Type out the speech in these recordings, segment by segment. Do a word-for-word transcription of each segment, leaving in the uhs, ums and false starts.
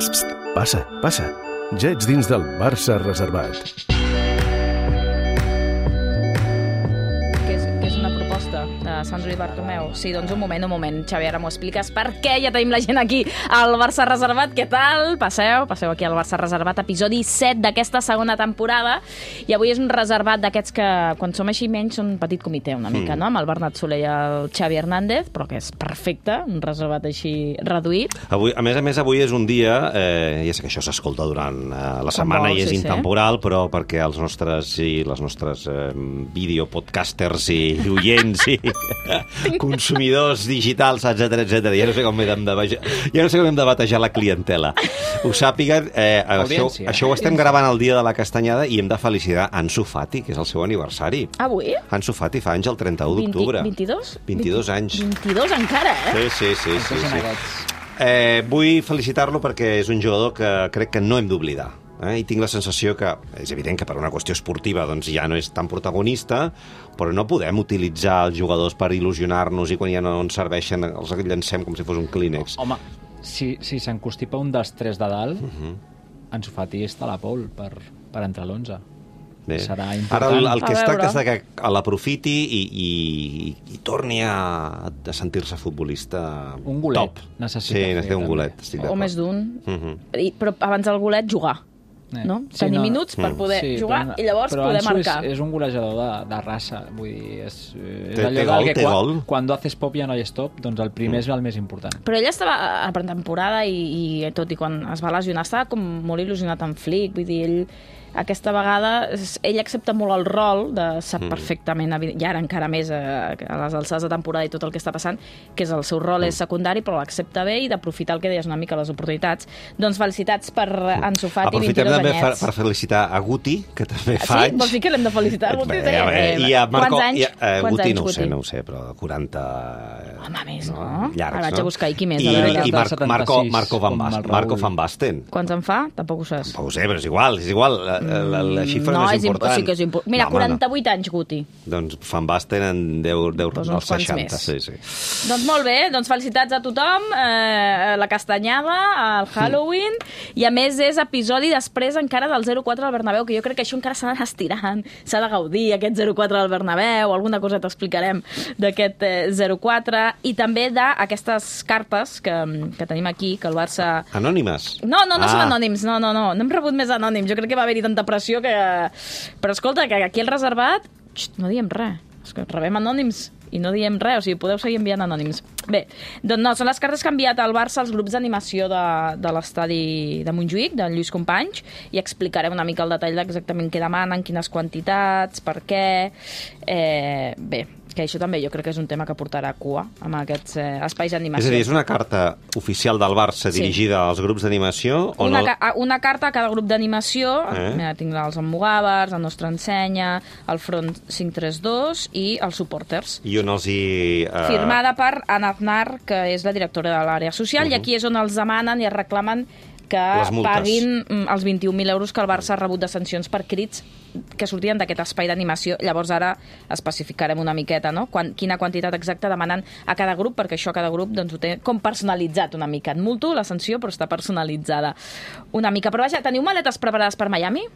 Psst, passa, passa. Ja ets dins del Barça reservat. Que és, que és una proposta de Sandro i Bartomeu. Sí, doncs un moment, un moment, Xavi, ara m'ho expliques per què ja tenim la gent aquí al Barça reservat. Què tal? Passeu, passeu aquí al Barça reservat, episodi set d'aquesta segona temporada. I avui és un reservat d'aquests que, quan som així menys, són un petit comitè una mica, mm. no? Amb el Bernat Soler i el Xavi Hernández, però que és perfecte, un reservat així reduït. Avui, a més a més, avui és un dia, eh, ja sé que això s'escolta durant eh, la setmana vol, i és sí, intemporal, sí. Però perquè els nostres i les nostres eh, videopodcasters i oients i consumidors digitals, etcètera, etcètera, ja no sé com hem de, ja no sé com hem de batejar la clientela. Ho sàpiguen, eh, això, això ho estem gravant el dia de la Castanyada i hem de felicitar Ansu Fati, que és el seu aniversari. Avui? Ansu Fati fa anys el trenta-u d'octubre. vint-i-dos? vint-i-dos anys. vint-i-dos encara, eh? Sí, sí, sí. sí, sí. Eh, vull felicitar-lo perquè és un jugador que crec que no hem d'oblidar. Eh? I tinc la sensació que, és evident que per una qüestió esportiva doncs ja no és tan protagonista, però no podem utilitzar els jugadors per il·lusionar-nos i quan ja no ens serveixen els llancem com si fos un clínex. Home, si, si s'encostipa un dels tres de dalt, uh-huh. Ansu Fati està a la pole per, per entrar a l'onze. Bé. Serà important. Ara el, el que es tracta és que l'aprofiti i, i, i torni a, a sentir-se futbolista un golet top. Necessita sí, necessita un golet. Estic o més d'un. Uh-huh. I, però abans del golet, jugar. Eh. No? Sí, tenir no. minuts per poder sí, jugar però, i llavors poder marcar. És, és un golejador de, de raça. Vull dir, és, és té, allò té gol, que té quan, gol. Quan haces pop ja no hi és top, doncs el primer mm. és el més important. Però ell estava a pretemporada i, i tot i quan es va lesionar estava com molt il·lusionat amb Flick. Vull dir, ell aquesta vegada ell accepta molt el rol de sap mm. perfectament, i ara encara més a, a les alçades de temporada i tot el que està passant, que és el seu rol mm. és secundari, però l'accepta bé i d'aprofitar el que deies una mica les oportunitats. Doncs felicitats per Ansu Fati, aprofitem vint-i-dos també anyets. Per, per felicitar a Guti, que també fa sí? anys. Vols dir que l'hem de felicitar? Bé, a veure, i a Marco, quants anys? I a, uh, quants Guti anys, no ho sé, Guti? no ho sé, però quaranta... Home, més, no? no? Llargs, ara vaig a buscar, i qui més? I, a i Mar Marco, Marco, Van Basten, Marco Van Basten. Quants en fa? Tampoc ho saps. Tampoc ho sé, però és igual, és igual. La, la, la xifra no, no és important. Sí que és important. Mira, no, quaranta-vuit no. anys, Guti. Doncs Van Basten en deu, deu doncs als seixanta. Sí, sí. Doncs molt bé, doncs felicitats a tothom, eh, la Castanyada, el Halloween, mm. i a més és episodi després encara del zero quatre al Bernabéu, que jo crec que això encara s'ha d'anar estirant, s'ha de gaudir aquest zero quatre al Bernabéu, alguna cosa t'explicarem d'aquest eh, zero quatre, i també d'aquestes cartes que, que tenim aquí, que el Barça... Anònimes? No, no, no ah. són anònims, no, no, no, no hem rebut més anònims, jo crec que va haver-hi tanta pressió que... Però escolta, que aquí el reservat, xt, no diem res, és que rebem anònims i no diem res, o sigui, podeu seguir enviant anònims. Bé, doncs no, són les cartes que ha enviat al Barça als grups d'animació de, de l'estadi de Montjuïc, de Lluís Companys, i explicarem una mica el detall d'exactament què demanen, quines quantitats, per què... Eh, bé, que això també jo crec que és un tema que portarà cua amb aquests eh, espais d'animació. És a dir, és una carta oficial del Barça sí. dirigida als grups d'animació? Una, no? ca una carta a cada grup d'animació, eh? Mira, tinc els Almogàvers, el Nostre Ensenya, el Front cinc tres dos i els Supporters. I on els hi... Uh... Firmada per Anna Aznar, que és la directora de l'àrea social, uh -huh. i aquí és on els demanen i es reclamen que paguin els vint-i-un mil euros que el Barça ha rebut de sancions per crits que sortien d'aquest espai d'animació. Llavors ara especificarem una miqueta, no? Quan, quina quantitat exacta demanen a cada grup, perquè això cada grup doncs, ho té com personalitzat una mica. En multo la sanció, però està personalitzada una mica. Però vaja, teniu maletes preparades per Miami?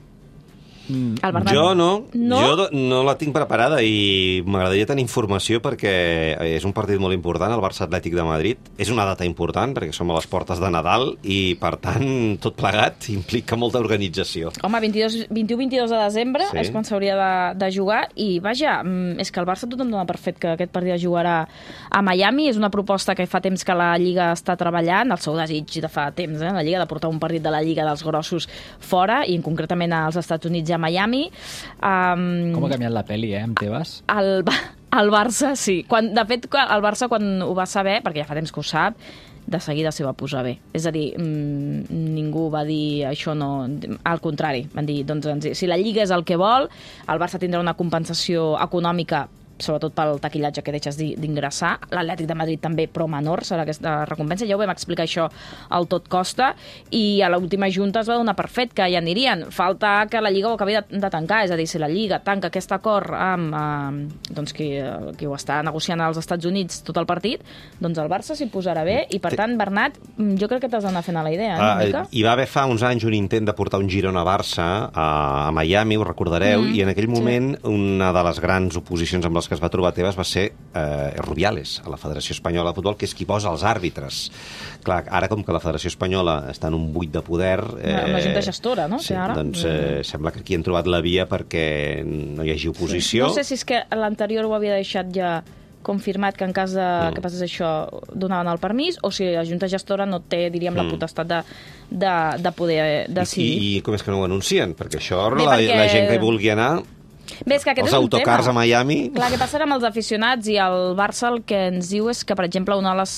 Jo no, no, jo no la tinc preparada i m'agradaria tenir informació perquè és un partit molt important, el Barça Atlètic de Madrid. És una data important perquè som a les portes de Nadal i, per tant, tot plegat implica molta organització. Home, vint-i-u vint-i-dos de desembre sí. és quan s'hauria de, de jugar i, vaja, és que el Barça tothom dona per fet que aquest partit es jugarà a Miami. És una proposta que fa temps que la Lliga està treballant, el seu desig de fa temps, eh, la Lliga, de portar un partit de la Lliga dels grossos fora i, concretament, als Estats Units i a Miami. Um, Com ha canviat la peli, eh, amb Tebas? El, el Barça, sí. Quan, de fet, el Barça, quan ho va saber, perquè ja fa temps que ho sap, de seguida s'hi va posar bé. És a dir, mmm, ningú va dir això no... Al contrari, van dir, doncs, si la Lliga és el que vol, el Barça tindrà una compensació econòmica sobretot pel taquillatge que deixes d'ingressar. L'Atlètic de Madrid també, però menor, serà aquesta recompensa. Ja ho vam explicar això al Tot Costa, i a l'última junta es va donar per fet que ja anirien. Falta que la Lliga ho acabi de, de tancar, és a dir, si la Lliga tanca aquest acord amb eh, doncs qui, qui ho està negociant als Estats Units tot el partit, doncs el Barça s'hi posarà bé, i per tant, Bernat, jo crec que t'has d'anar fent a la idea, ah, eh, Hi va haver fa uns anys un intent de portar un Girona-Barça a, a Miami, ho recordareu, mm, i en aquell moment sí. una de les grans oposicions amb les que es va trobar Tebas va ser eh, Rubiales, a la Federació Espanyola de Futbol, que és qui posa els àrbitres. Clar, ara com que la Federació Espanyola està en un buit de poder... Eh, una junta gestora, no? Sí, ara? doncs eh, sembla que aquí han trobat la via perquè no hi hagi oposició. Sí. No sé si és que l'anterior ho havia deixat ja confirmat que en cas de, mm. que passés això donaven el permís, o si la Junta Gestora no té, diríem, mm. la potestat de, de, de poder decidir. I, I com és que no ho anuncien? Perquè això, Bé, la, perquè... la gent que hi vulgui anar... Bé, és que aquest els és un autocars tema. A Miami... Clar, què passarà amb els aficionats? I el Barça el que ens diu és que, per exemple, una de les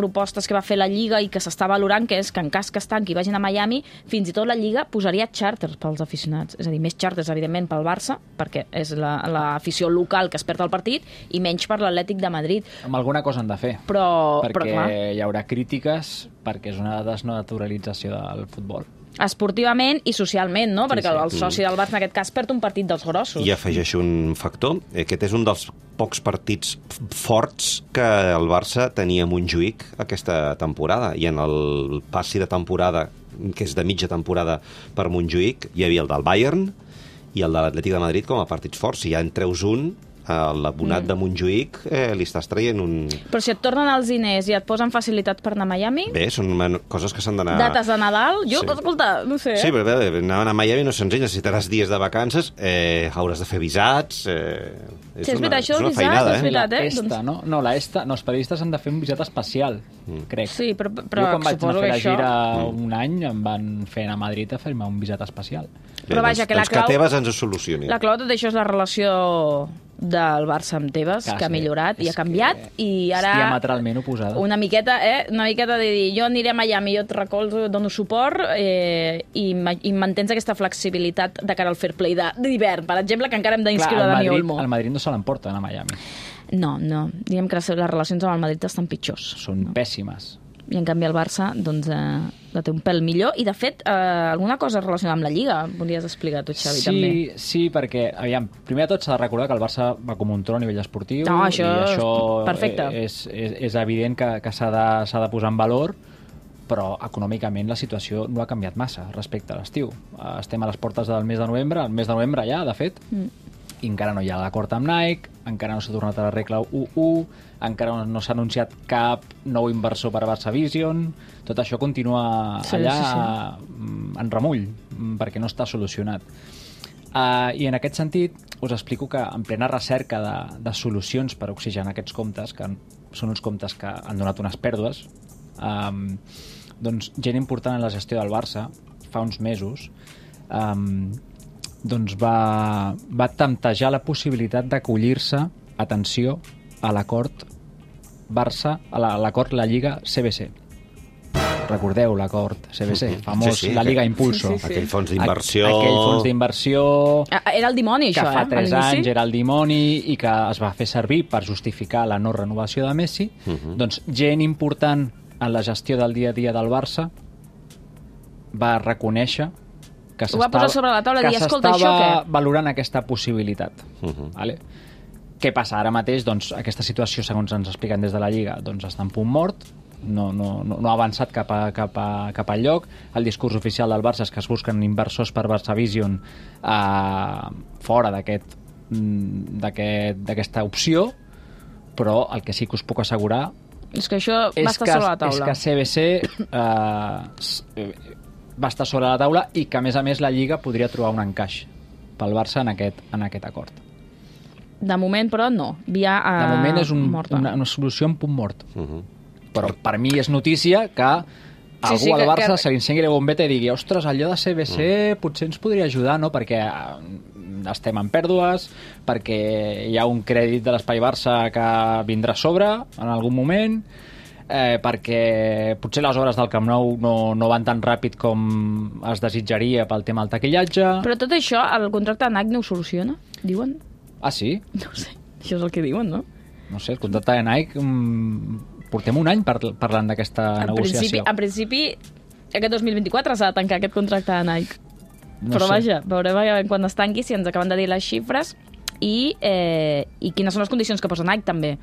propostes que va fer la Lliga i que s'està valorant, que és que en cas que es tanqui i vagin a Miami, fins i tot la Lliga posaria xàrters pels aficionats. És a dir, més xàrters, evidentment, pel Barça, perquè és l'afició la, local que es perd el partit, i menys per l'Atlètic de Madrid. Amb alguna cosa han de fer. Però, perquè però, clar, hi haurà crítiques, perquè és una desnaturalització del futbol. Esportivament i socialment, no? Sí, Perquè sí. el soci del Barça, en aquest cas, perd un partit dels grossos. I afegeixo un factor. Aquest és un dels pocs partits forts que el Barça tenia a Montjuïc aquesta temporada. I en el passi de temporada, que és de mitja temporada per Montjuïc, hi havia el del Bayern i el de l'Atlètic de Madrid com a partits forts. Si ja en treus un, l'abonat mm. de Montjuïc eh, li estàs traient un... Però si et tornen els diners i et posen facilitats per anar a Miami... Bé, són coses que s'han d'anar... Dates de Nadal? Jo, sí. escolta, no sé... Sí, però bé, anar a Miami no és senzill, necessitaràs dies de vacances, eh, hauràs de fer visats... Eh, és sí, és una, veritat, això és del una visat, feinada, és veritat, eh? eh? La ESTA, doncs... no? No, la ESTA, no, els periodistes han de fer un visat especial, mm. crec. Sí, però, però jo quan vaig anar a fer la això... gira mm. un any em van fer anar a Madrid a fer-me un visat especial. Bé, però vaja, doncs, que la doncs clau... que Tebas ens ho solucioni. La clau de tot això és la relació del Barça amb Tebas, Clar, que ha sí. millorat i és ha canviat, i ara... És diametralment oposada. Una miqueta, eh? Una miqueta de dir, jo aniré a Miami, jo et recolzo, dono suport, eh, i, i mantens aquesta flexibilitat de cara al fair play d'hivern, per exemple, que encara hem d'inscriure Dani Olmo. El Madrid no se l'emporta a Miami. No, no. Diguem que les relacions amb el Madrid estan pitjors. Són no? pèssimes. I en canvi el Barça doncs, eh, la té un pèl millor. I de fet, eh, alguna cosa relacionada amb la Lliga volies explicar tu, Xavi, sí, també. Sí, perquè, aviam, primer de tot s'ha de recordar que el Barça va com un tron a nivell esportiu. No, això, i això perfecte. És, és, és evident que, que s'ha de, s'ha de posar en valor, però econòmicament la situació no ha canviat massa respecte a l'estiu. Estem a les portes del mes de novembre, el mes de novembre ja, de fet, mm. i encara no hi ha l'acord amb Nike, encara no s'ha tornat a la regla u u, encara no s'ha anunciat cap nou inversor per a Barça Vision, tot això continua sí, allà sí, sí. en remull, perquè no està solucionat. Uh, I en aquest sentit us explico que en plena recerca de, de solucions per oxigenar aquests comptes, que són uns comptes que han donat unes pèrdues, um, doncs gent important en la gestió del Barça, fa uns mesos, um, doncs va, va temptejar la possibilitat d'acollir-se, atenció, a l'acord Barça, a l'acord la, la Lliga C B C. Recordeu l'acord C B C, famós, sí, sí, la Liga Impulso. Sí, sí, sí. Aquell fons d'inversió... Aquell fons d'inversió... Era el dimoni, això, eh? Que fa tres anys era el dimoni i que es va fer servir per justificar la no renovació de Messi. Uh -huh. Doncs gent important en la gestió del dia a dia del Barça va reconèixer que s'estava valorant aquesta possibilitat. Uh -huh. Vale? Què passa ara mateix? Doncs aquesta situació, segons ens expliquen des de la Lliga, doncs està en punt mort, no, no, no ha avançat cap a, cap a, cap al lloc. El discurs oficial del Barça és que es busquen inversors per Barça Vision eh, fora d'aquest d'aquesta opció, però el que sí que us puc assegurar és que això és va estar que, sobre la taula. És que C B C eh, va estar sobre la taula i que, a més a més, la Lliga podria trobar un encaix pel Barça en aquest, en aquest acord. De moment, però, no. Via uh, de moment és un, morta. una, una solució en punt mort. Uh -huh. Però per mi és notícia que algú sí, sí, al Barça que... se li encengui la bombeta i digui ostres, allò de C B C mm. potser ens podria ajudar, no? Perquè estem en pèrdues, perquè hi ha un crèdit de l'Espai Barça que vindrà a sobre en algun moment, eh, perquè potser les obres del Camp Nou no, no van tan ràpid com es desitjaria pel tema del taquillatge. Però tot això, el contracte de Nike no ho soluciona, diuen? Ah, sí? No ho sé. Això és el que diuen, no? No sé, el contracte de Nike... Um, portem un any par parlant d'aquesta negociació. Principi, en principi, aquest dos mil vint-i-quatre s'ha de tancar aquest contracte de Nike. No Però sé. vaja, veurem quan es tanqui si ens acaben de dir les xifres i, eh, i quines són les condicions que posa Nike, també.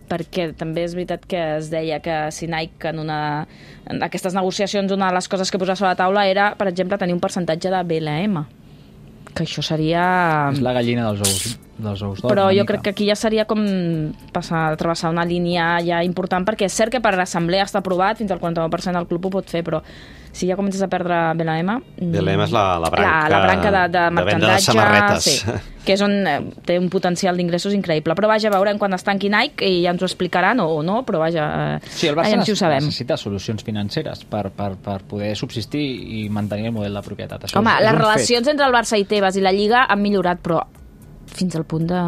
Perquè també és veritat que es deia que si Nike en, una, en aquestes negociacions una de les coses que posava sobre la taula era, per exemple, tenir un percentatge de B L M, que això seria... És la gallina dels ous, dels ous d'or. Però jo crec que aquí ja seria com passar, travessar una línia ja important, perquè és cert que per l'assemblea està aprovat, fins al quaranta-nou per cent del club ho pot fer, però si ja comences a perdre B L M... B L M és la, la branca, la, la branca de, de, de venda de merchandatge, samarretes. sí, que és on eh, té un potencial d'ingressos increïble. Però vaja, veurem quan es tanqui Nike i ja ens ho explicaran o, o no, però vaja, eh, Sí, el Barça aviam si ho sabem. necessita solucions financeres per, per, per poder subsistir i mantenir el model de propietat. Això Home, és, és les un relacions fet. entre el Barça i Tebas i la Lliga han millorat, però fins al punt de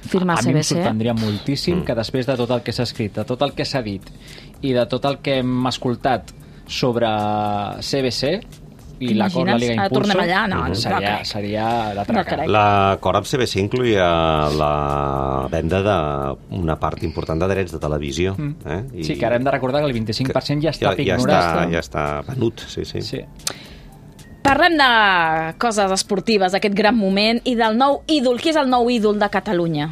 firmar A mi em C B C. sorprendria moltíssim que després de tot el que s'ha escrit, de tot el que s'ha dit i de tot el que hem escoltat sobre C B C i l'acord de la Liga T'imagines? Ah, Impulso, tornem allà? No, no seria, crec. seria la No traca. crec. L'acord amb C B C incluïa la venda d'una part important de drets de televisió. Eh? I Sí, que ara hem de recordar que el vint-i-cinc per cent ja està ja, ja, ignorat. està, ja està venut, sí, sí. Sí. Parlem de coses esportives, d'aquest gran moment, i del nou ídol. Qui és el nou ídol de Catalunya?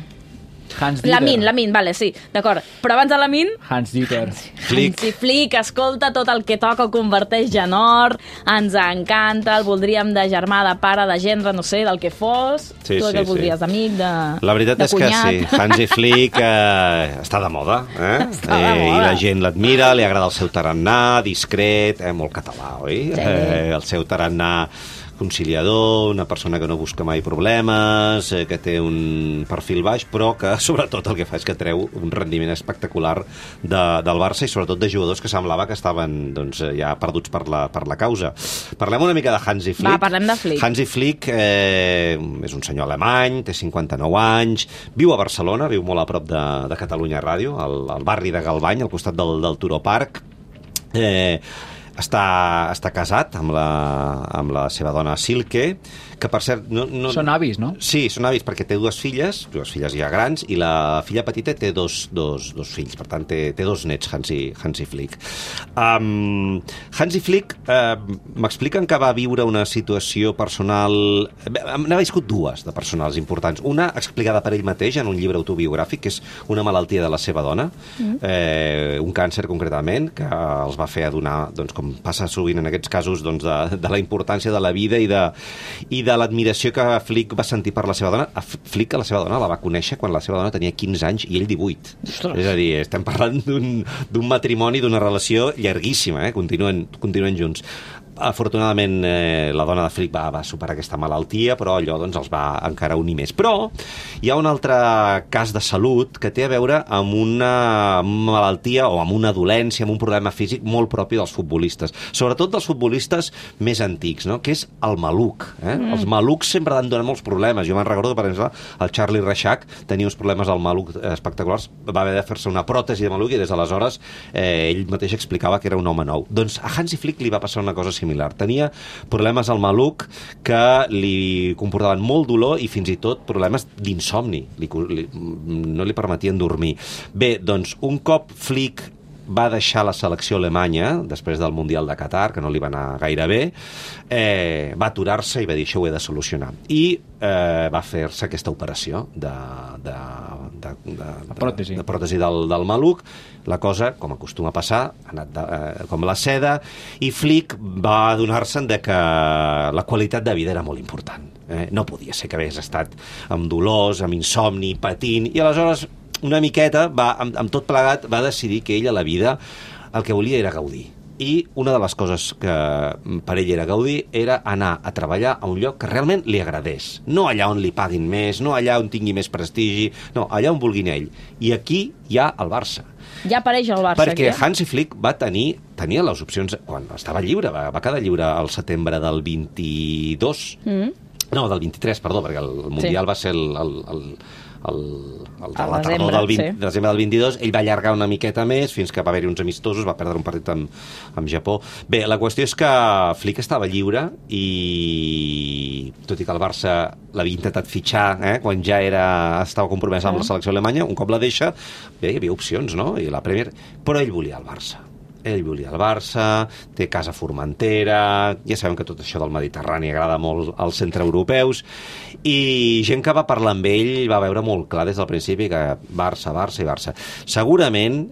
Hans Dieter. Lamin, Lamin, vale, sí, d'acord. Però abans de Lamin, Hans Dieter. Flick. Hansi Flick, escolta, tot el que toca ho converteix en or, ens encanta, el voldríem de germà, de pare, de gendre, no sé, del que fos. Sí, tu sí, que el voldries sí. d'amic, de La veritat de és que cunyat. sí, Hansi Flick eh, està de moda, eh? Està de eh, I moda. la gent l'admira, li agrada el seu tarannà, discret, eh, molt català, oi? Sí. Eh, el seu tarannà conciliador, una persona que no busca mai problemes, eh, que té un perfil baix, però que sobretot el que fa és que treu un rendiment espectacular de, del Barça i sobretot de jugadors que semblava que estaven doncs, ja perduts per la, per la causa. Parlem una mica de Hansi Flick. Va, parlem de Flick. Hansi Flick eh, és un senyor alemany, té cinquanta-nou anys, viu a Barcelona, viu molt a prop de, de Catalunya Ràdio, al, al barri de Galvany, al costat del, del Turó Park. Eh, està, està casat amb la, amb la seva dona Silke, que per cert... No, no, Són avis, no? Sí, són avis, perquè té dues filles, dues filles ja grans, i la filla petita té dos, dos, dos fills, per tant, té, té dos nets, Hansi, Hansi Flick. Um, Hansi Flick, uh, m'expliquen que va viure una situació personal... N'ha viscut dues de personals importants. Una, explicada per ell mateix en un llibre autobiogràfic, que és una malaltia de la seva dona, mm. eh, un càncer concretament, que els va fer adonar, doncs, com passa sovint en aquests casos, doncs, de, de la importància de la vida i de, i de l'admiració que Flick va sentir per la seva dona. A Flick, a la seva dona, la va conèixer quan la seva dona tenia quinze anys i ell divuit. Ostres. És a dir, estem parlant d'un matrimoni, d'una relació llarguíssima, eh? Continuen, continuen junts. Afortunadament, eh, la dona de Flick va, va superar aquesta malaltia, però allò doncs, els va encara unir més. Però hi ha un altre cas de salut que té a veure amb una malaltia o amb una dolència, amb un problema físic molt propi dels futbolistes, sobretot dels futbolistes més antics, no? Que és el maluc. Eh? Mm. Els malucs sempre han donat molts problemes. Jo me'n recordo que, per exemple, el Charlie Reixac tenia uns problemes al maluc espectaculars, va haver de fer-se una pròtesi de maluc i des d'aleshores eh, ell mateix explicava que era un home nou. Doncs a Hansi Flick li va passar una cosa similar. Tenia problemes al maluc que li comportaven molt dolor i fins i tot problemes d'insomni. Li, li, no li permetien dormir. Bé, doncs, un cop Flick va deixar la selecció alemanya després del Mundial de Qatar, que no li va anar gaire bé, eh, va aturar-se i va dir això ho he de solucionar. I eh, va fer-se aquesta operació de, de, de, de, de pròtesi, de pròtesi del, del maluc. La cosa, com acostuma a passar, ha anat de, eh, com la seda, i Flick va adonar-se'n de que la qualitat de vida era molt important. Eh? No podia ser que hagués estat amb dolors, amb insomni, patint, i aleshores una miqueta, va, amb, amb tot plegat, va decidir que ell a la vida el que volia era gaudir. I una de les coses que per ell era gaudir era anar a treballar a un lloc que realment li agradés. No allà on li paguin més, no allà on tingui més prestigi, no, allà on vulguin ell. I aquí hi ha el Barça. Ja apareix el Barça. Perquè aquí. Hansi Flick va tenir, tenia les opcions, quan estava lliure, va, va quedar lliure al setembre del vint-i-dos, Mm. no, del vint-i-tres, perdó, perquè el Mundial Sí. va ser el, el, el, el, el de A la desembre, tardor del vint, sí. de desembre del vint-i-dos, ell va allargar una miqueta més fins que va haver-hi uns amistosos, va perdre un partit amb, amb Japó. Bé, la qüestió és que Flick estava lliure i tot i que el Barça l'havia intentat fitxar eh, quan ja era, estava compromès amb la selecció alemanya, un cop la deixa, bé, hi havia opcions, no? I la Premier, però ell volia el Barça. Ell volia el Barça, té casa a Formentera, ja sabem que tot això del Mediterrani agrada molt als centreeuropeus, i gent que va parlar amb ell va veure molt clar des del principi que Barça, Barça i Barça. Segurament,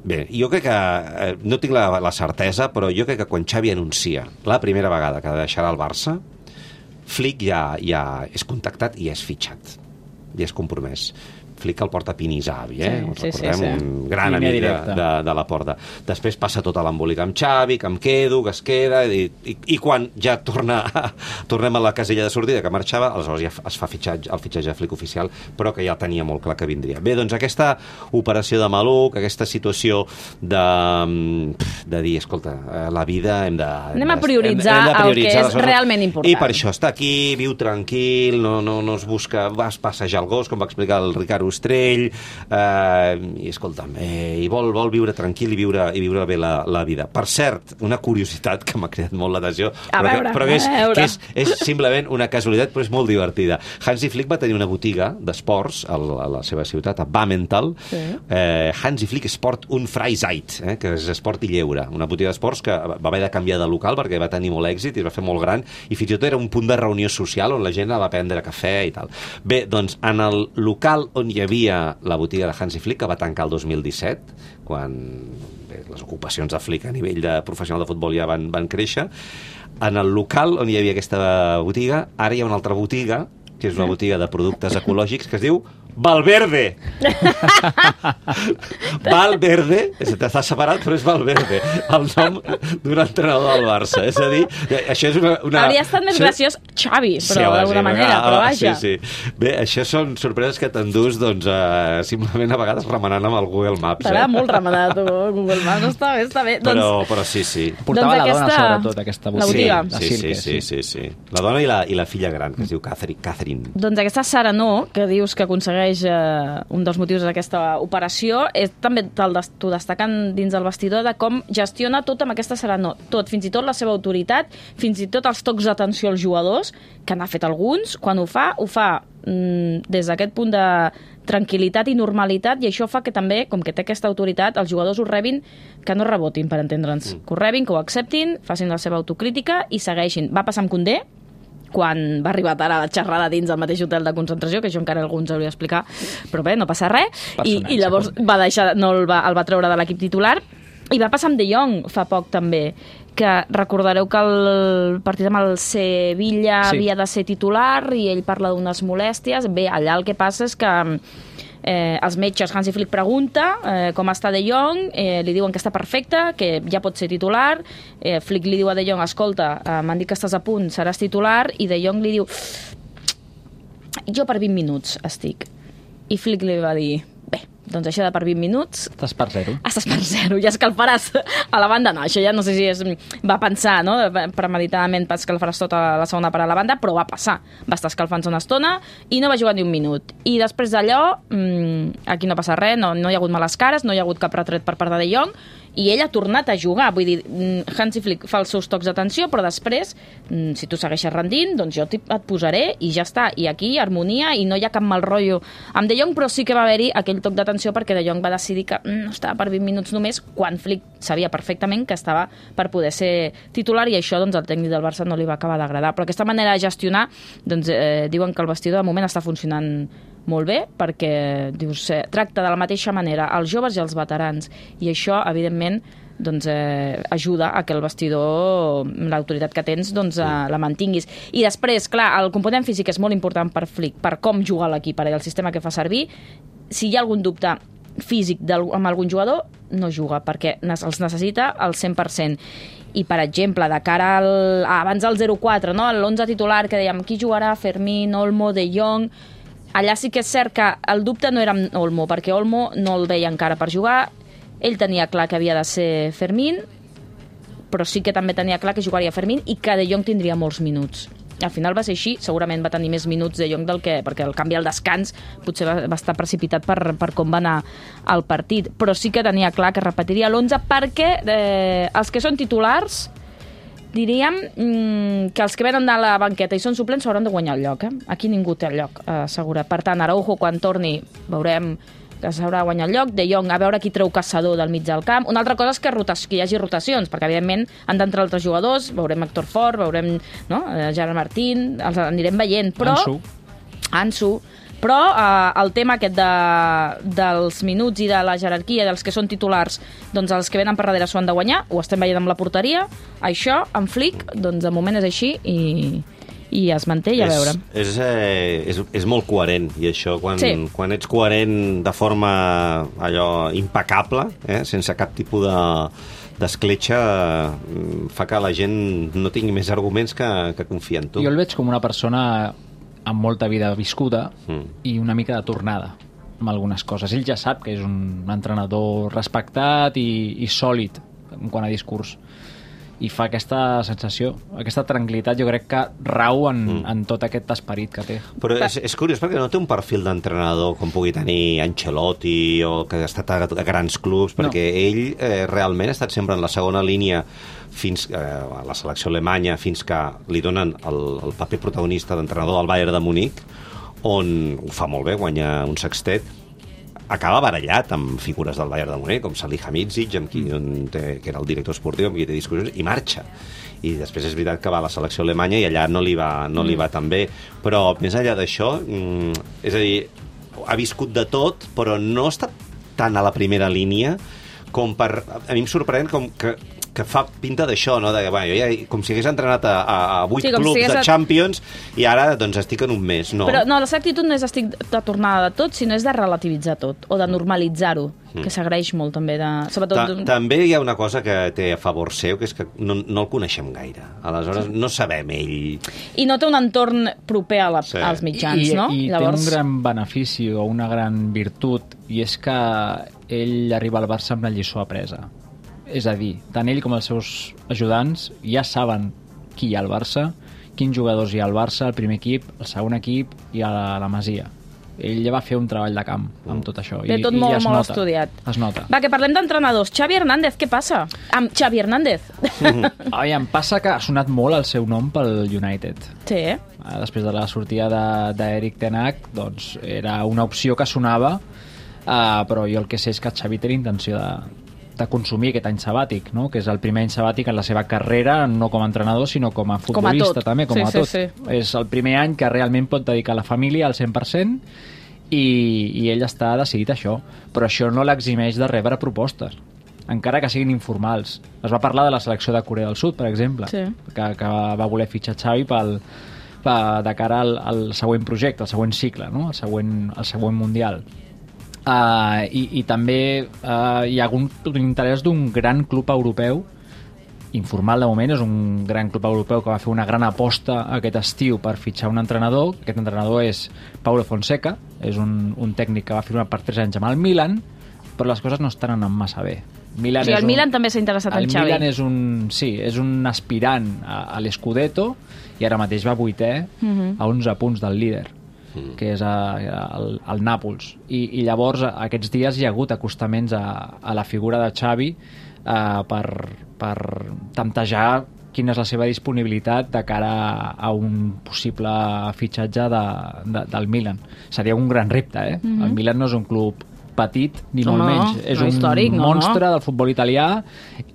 bé, jo crec que, eh, no tinc la, la certesa, però jo crec que quan Xavi anuncia la primera vegada que deixarà el Barça, Flick ja, ja és contactat i és fitxat, ja és compromès. Flick el porta Pinisavi, eh? Sí, Us sí, recordem, sí, sí. un gran Línia amic de, directa. de, de la Porta. Després passa tot a l'embolic amb Xavi, que em quedo, que es queda, i, i, i quan ja torna a, tornem a la casella de sortida, que marxava, aleshores ja es fa fitxatge, el fitxatge de Flick oficial, però que ja tenia molt clar que vindria. Bé, doncs aquesta operació de maluc, aquesta situació de, de dir, escolta, la vida hem de... Anem a prioritzar hem, hem de el que és les realment important. I per això està aquí, viu tranquil, no, no, no es busca... Vas passejar el gos, com va explicar el Ricard Ostrell, Uh, i escolta'm, eh, i vol, vol viure tranquil i viure, i viure bé la, la vida. Per cert, una curiositat que m'ha creat molt l'atenció, però, veure, que, però que, és, a veure. que és, és simplement una casualitat, però és molt divertida. Hansi Flick va tenir una botiga d'esports a, a la seva ciutat, a Bammental, sí. eh, Hansi Flick Sport und Freizeit, eh, que és esport i lleure, una botiga d'esports que va haver de canviar de local perquè va tenir molt èxit i es va fer molt gran, i fins i tot era un punt de reunió social on la gent va prendre cafè i tal. Bé, doncs, en el local on hi havia la botiga de Hansi Flick, que va tancar el dos mil disset, quan bé, les ocupacions de Flick a nivell de professional de futbol ja van, van créixer. En el local on hi havia aquesta botiga, ara hi ha una altra botiga, que és una botiga de productes ecològics, que es diu Valverde. Valverde, està separat, però és Valverde, el nom d'un entrenador del Barça. És a dir, això és una... una... Hauria estat més graciós Xavi, però sí, d'alguna sí, manera, ah, però vaja. Sí, sí. Bé, això són sorpreses que t'endús, doncs, eh, simplement a vegades remenant amb el Google Maps. T'agrada eh? molt remenar tu, Google Maps, no està bé, està bé. Però, doncs, però sí, sí. Portava Doncs la dona, aquesta- sobretot, aquesta la botiga. botiga. de Sí, sí, Silke, sí, sí, sí. La dona i la, i la filla gran, que es diu Catherine. Catherine. Doncs aquesta Serenor, que dius que aconsegueix eh, un dels motius d'aquesta operació, és també te'l des- t'ho destaquen dins del vestidor de com gestiona tot amb aquesta Serenor. Tot, fins i tot la seva autoritat, fins i tot els tocs d'atenció als jugadors, que n'ha fet alguns, quan ho fa, ho fa mm, des d'aquest punt de tranquil·litat i normalitat, i això fa que també, com que té aquesta autoritat, els jugadors ho rebin, que no rebotin, per entendre'ns. Mm. Que ho rebin, que ho acceptin, facin la seva autocrítica i segueixin. Va passar amb Koundé, quan va arribar tard a la xerrada dins del mateix hotel de concentració, que això encara algú ens hauria d'explicar, però bé, no passa res, i, i llavors va deixar, no el va, el va treure de l'equip titular, i va passar amb De Jong fa poc també, que recordareu que el partit amb el Sevilla Sí. havia de ser titular i ell parla d'unes molèsties. Bé, allà el que passa és que eh, els metges, Hansi Flick pregunta eh, com està De Jong, eh, li diuen que està perfecte, que ja pot ser titular, eh, Flick li diu a De Jong, escolta, eh, m'han dit que estàs a punt, seràs titular, i De Jong li diu, jo per vint minuts estic. I Flick li va dir, bé, doncs això de per vint minuts Estàs per zero. estàs per zero, ja escalfaràs a la banda. No, això ja no sé si és, va pensar, no? Premeditadament pas escalfaràs tota la segona part a la banda, però va passar. Va estar escalfant-se una estona i no va jugar ni un minut. I després d'allò, mmm, aquí no passa res, no, no hi ha hagut males cares, no hi ha hagut cap retret per part de De Jong, i ell ha tornat a jugar. Vull dir, Hansi Flick fa els seus tocs d'atenció, però després, si tu segueixes rendint, doncs jo et posaré i ja està. I aquí, harmonia, i no hi ha cap mal rotllo amb De Jong, però sí que va haver-hi aquell toc d'atenció perquè De Jong va decidir que no estava per vint minuts només, quan Flick sabia perfectament que estava per poder ser titular, i això doncs, al tècnic del Barça no li va acabar d'agradar. Però aquesta manera de gestionar, doncs, eh, diuen que el vestidor de moment està funcionant molt bé, perquè dius, eh, tracta de la mateixa manera els joves i els veterans, i això, evidentment, doncs, eh, ajuda a que el vestidor, l'autoritat que tens, doncs, eh, la mantinguis. I després, clar, el component físic és molt important per Flick, per com jugar l'equip, per el sistema que fa servir. Si hi ha algun dubte físic amb algun jugador, no juga, perquè els necessita al cent per cent. I, per exemple, de cara al, abans del zero quatre, no? l'onze titular, que dèiem, qui jugarà? Fermín, Olmo, De Jong. Allà sí que és cert que el dubte no era amb Olmo, perquè Olmo no el veia encara per jugar. Ell tenia clar que havia de ser Fermín, però sí que també tenia clar que jugaria Fermín i que De Jong tindria molts minuts. al final va ser així, segurament va tenir més minuts De Jong del que... perquè el canvi al descans potser va, va estar precipitat per, per com va anar el partit, però sí que tenia clar que repetiria l'onze perquè eh, els que són titulars diríem mmm, que els que venen de la banqueta i són suplents s'hauran de guanyar el lloc. Eh? Aquí ningú té el lloc eh, assegurat. Per tant, Araujo, quan torni, veurem que s'haurà de guanyar el lloc. De Jong, a veure qui treu Caçador del mig del camp. Una altra cosa és que, rotació, que hi hagi rotacions, perquè, evidentment, han d'entrar altres jugadors, veurem Héctor Fort, veurem no? Gerard Martín, els anirem veient, però... Ansu. Ansu. Però eh, el tema aquest de, dels minuts i de la jerarquia dels que són titulars, doncs els que venen per darrere s'ho han de guanyar, ho estem veient amb la porteria, això, en Flick, doncs de moment és així i, i es manté i a veure. És, és, eh, és, és molt coherent, i això, quan, sí. quan ets coherent de forma allò impecable, eh, sense cap tipus de d'escletxa, fa que la gent no tingui més arguments que, que confiar en tu. Jo el veig com una persona amb molta vida viscuda mm. i una mica de tornada amb algunes coses. Ell ja sap que és un entrenador respectat i, i sòlid en quant a discurs, i fa aquesta sensació, aquesta tranquil·litat, jo crec que rau en, mm. en tot aquest esperit que té. Però és, és curiós perquè no té un perfil d'entrenador com pugui tenir Ancelotti o que ha estat a, a grans clubs, perquè no. ell eh, realment ha estat sempre en la segona línia fins eh, a la selecció alemanya, fins que li donen el, el paper protagonista d'entrenador del Bayern de Munic, on ho fa molt bé, guanya un sextet, acaba barallat amb figures del Bayern de Munic, com Salihamidzic, amb qui mm. té, que era el director esportiu, amb qui té discussions, i marxa. I després és veritat que va a la selecció alemanya i allà no li va, no li va tan bé. Però més enllà d'això, mm, és a dir, ha viscut de tot, però no està tan a la primera línia com per... A mi em sorprèn com que que fa pinta d'això, no? De, bueno, jo ja, com si hagués entrenat a, a vuit sí, clubs si de a... Champions i ara doncs estic en un mes, no? Però no, la seva actitud no és estic de tornada de tot, sinó és de relativitzar tot, o de normalitzar-ho, mm. que s'agraeix molt també. De... Sobretot... Ta també hi ha una cosa que té a favor seu, que és que no, no el coneixem gaire. Aleshores sí. no sabem ell... I no té un entorn proper a la, sí. als mitjans, I, no? I Llavors... té un gran benefici o una gran virtut, i és que ell arriba al Barça amb la lliçó apresa. És a dir, tant ell com els seus ajudants ja saben qui hi ha al Barça, quins jugadors hi ha al Barça, el primer equip, el segon equip i a la, la Masia. Ell ja va fer un treball de camp amb tot això. Té I, tot i molt, ja es molt nota, estudiat. Es nota. Va, que parlem d'entrenadors. Xavi Hernández, què passa? Amb Xavi Hernández. Mm-hmm. Ai, em passa que ha sonat molt el seu nom pel United. Sí. Després de la sortida d'Eric Ten Hag, doncs era una opció que sonava, uh, però jo el que sé és que Xavi té la intenció de de consumir aquest any sabàtic, no? Que és el primer any sabàtic en la seva carrera, no com a entrenador, sinó com a futbolista, com a també, com sí, a tot. Sí, sí. És el primer any que realment pot dedicar a la família al cent per cent i, i ell està decidit a això. Però això no l'eximeix de rebre propostes, encara que siguin informals. Es va parlar de la selecció de Corea del Sud, per exemple, sí. que, que va voler fitxar Xavi pel, pel, de cara al, al següent projecte, al següent cicle, no? el, següent, el següent Mundial. Uh, i, i també uh, hi ha un, un interès d'un gran club europeu informal de moment, és un gran club europeu que va fer una gran aposta aquest estiu per fitxar un entrenador. Aquest entrenador és Paulo Fonseca, és un, un tècnic que va firmar per tres anys amb el Milan, però les coses no estan anant massa bé. Milan sí, el un, Milan també s'ha interessat en Xavi. El Milan és un, sí, és un aspirant a, a l'Scudetto i ara mateix va vuitè uh-huh. a onze punts del líder, que és a, a, al, al Nàpols. I, I llavors aquests dies hi ha hagut acostaments a, a la figura de Xavi eh, per, per temptejar quina és la seva disponibilitat de cara a, a un possible fitxatge de, de, del Milan. Seria un gran repte, eh? Mm-hmm. El Milan no és un club petit, ni no, molt no, menys. És no un històric, no, monstre no. del futbol italià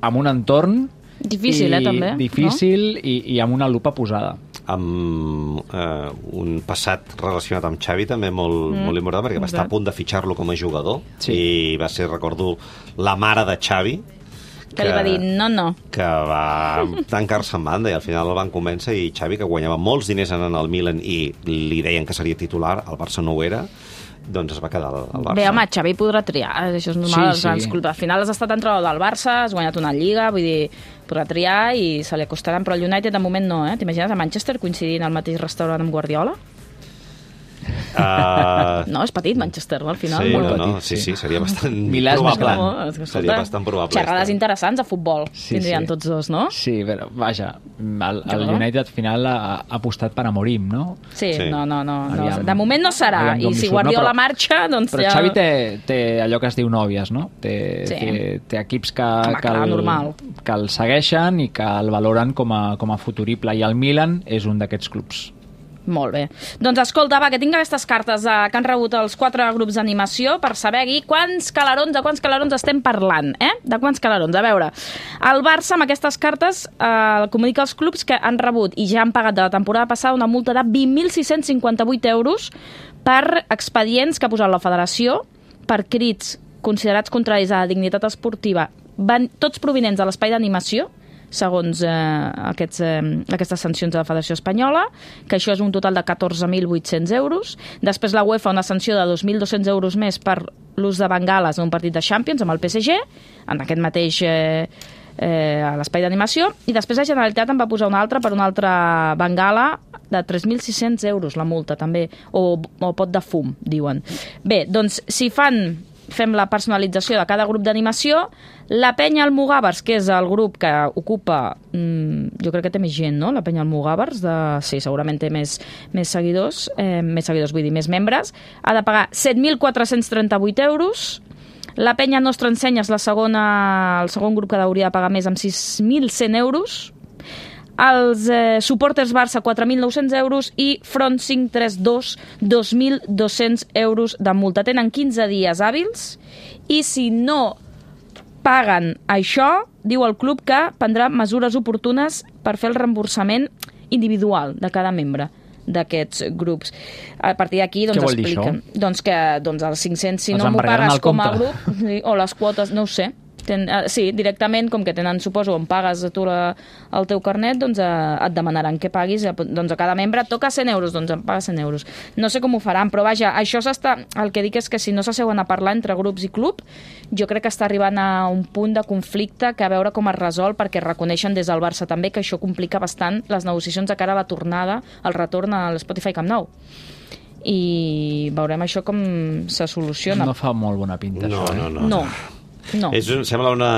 amb un entorn difícil, i, eh, també. Difícil no? i, i amb una lupa posada. Amb eh, un passat relacionat amb Xavi també molt, mm. molt important, perquè va estar a punt de fitxar-lo com a jugador sí. i va ser, recordo, la mare de Xavi que, que li va dir no, no que va tancar-se en banda i al final el van convèncer i Xavi, que guanyava molts diners anant al Milan i li deien que seria titular, el Barça no ho era, doncs es va quedar al Barça. Bé, home, Xavi podrà triar, això és normal, sí, sí. Al final has estat entrenador del Barça, has guanyat una Lliga, vull dir, podrà triar i se li acostaran, però el United de moment no, eh? T'imagines a Manchester coincidint al mateix restaurant amb Guardiola? Uh... No, és petit, Manchester, no? Al final. Sí, molt no, petit. no, sí, sí, seria bastant Milà és més probable. gran. No, escolta, Seria bastant probable. Xerrades interessants a futbol, Sí, tindrien sí. tots dos, no? Sí, però, vaja, el, el Jo. United al final ha, ha apostat per Amorim, no? Sí, Sí. no, no, no, no. Aviam. De moment no serà, Aviam com i li si surt, no? Guardiola Però- marxa, doncs Però ja... Xavi té, té allò que es diu nòvies, no? Té, Sí. té, té equips que, Home, que, clar, el, normal. que el segueixen i que el valoren com a, com a futurible, i el Milan és un d'aquests clubs. Molt bé. Doncs escolta, va, que tinc aquestes cartes eh, que han rebut els quatre grups d'animació per saber aquí quants calarons, de quants calarons estem parlant, eh? De quants calarons? A veure, el Barça amb aquestes cartes eh, comunica als clubs que han rebut i ja han pagat de la temporada passada una multa de vint mil sis-cents cinquanta-vuit euros per expedients que ha posat la federació per crits considerats contraris a la dignitat esportiva, van tots provinents de l'espai d'animació, segons eh, aquests, eh, aquestes sancions de la Federació Espanyola, que això és un total de catorze mil vuit-cents euros. Després la UEFA una sanció de dos mil dos-cents euros més per l'ús de bengales en un partit de Champions amb el P S G, en aquest mateix eh, eh, a l'espai d'animació, i després la Generalitat en va posar una altra per una altra bengala de tres mil sis-cents euros, la multa també, o, o pot de fum, diuen. Bé, doncs si fan... fem la personalització de cada grup d'animació. La Penya Almogàvers, que és el grup que ocupa, mmm, jo crec que té més gent, no?, la Penya Almogàvers, de... sí, segurament té més, més seguidors, eh, més seguidors, vull dir, més membres, ha de pagar set mil quatre-cents trenta-vuit euros. La Penya Nostra Ensenya és la segona, el segon grup que hauria de pagar més, amb sis mil cent euros. Els eh, Supporters Barça, quatre mil nou-cents euros, i Front cinc tres dos, dos mil dos-cents euros de multa. Tenen quinze dies hàbils i si no paguen això, diu el club que prendrà mesures oportunes per fer el reemborsament individual de cada membre d'aquests grups. A partir d'aquí doncs, Què vol dir expliquen doncs que doncs, els cinc-cents, si Els no m'ho embargaran pagues al com a compte. grup, sí, o les quotes, no ho sé. Ten, uh, sí, directament, com que tenen, suposo, on pagues tu la, el teu carnet, doncs uh, et demanaran que paguis, uh, doncs a cada membre et toca cent euros, doncs em paga cent euros. No sé com ho faran, però vaja, això s'està... El que dic és que si no s'asseuen a parlar entre grups i club, jo crec que està arribant a un punt de conflicte que a veure com es resol, perquè reconeixen des del Barça també que això complica bastant les negociacions de cara a la tornada, el retorn a l'Spotify Camp Nou. I veurem això com se soluciona. No fa molt bona pinta, No, això, eh? no, no. No. No. És, sembla una,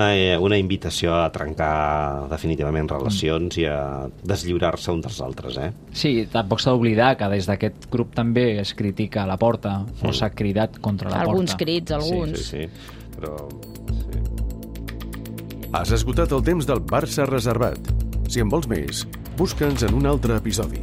una invitació a trencar definitivament relacions i a deslliurar-se uns dels altres, eh? Sí, tampoc s'ha d'oblidar que des d'aquest grup també es critica la Porta, o s'ha cridat contra la Alguns Porta. crits, alguns. Sí, sí, sí. Però... Sí. Has esgotat el temps del Barça reservat. Si en vols més, busca'ns en un altre episodi.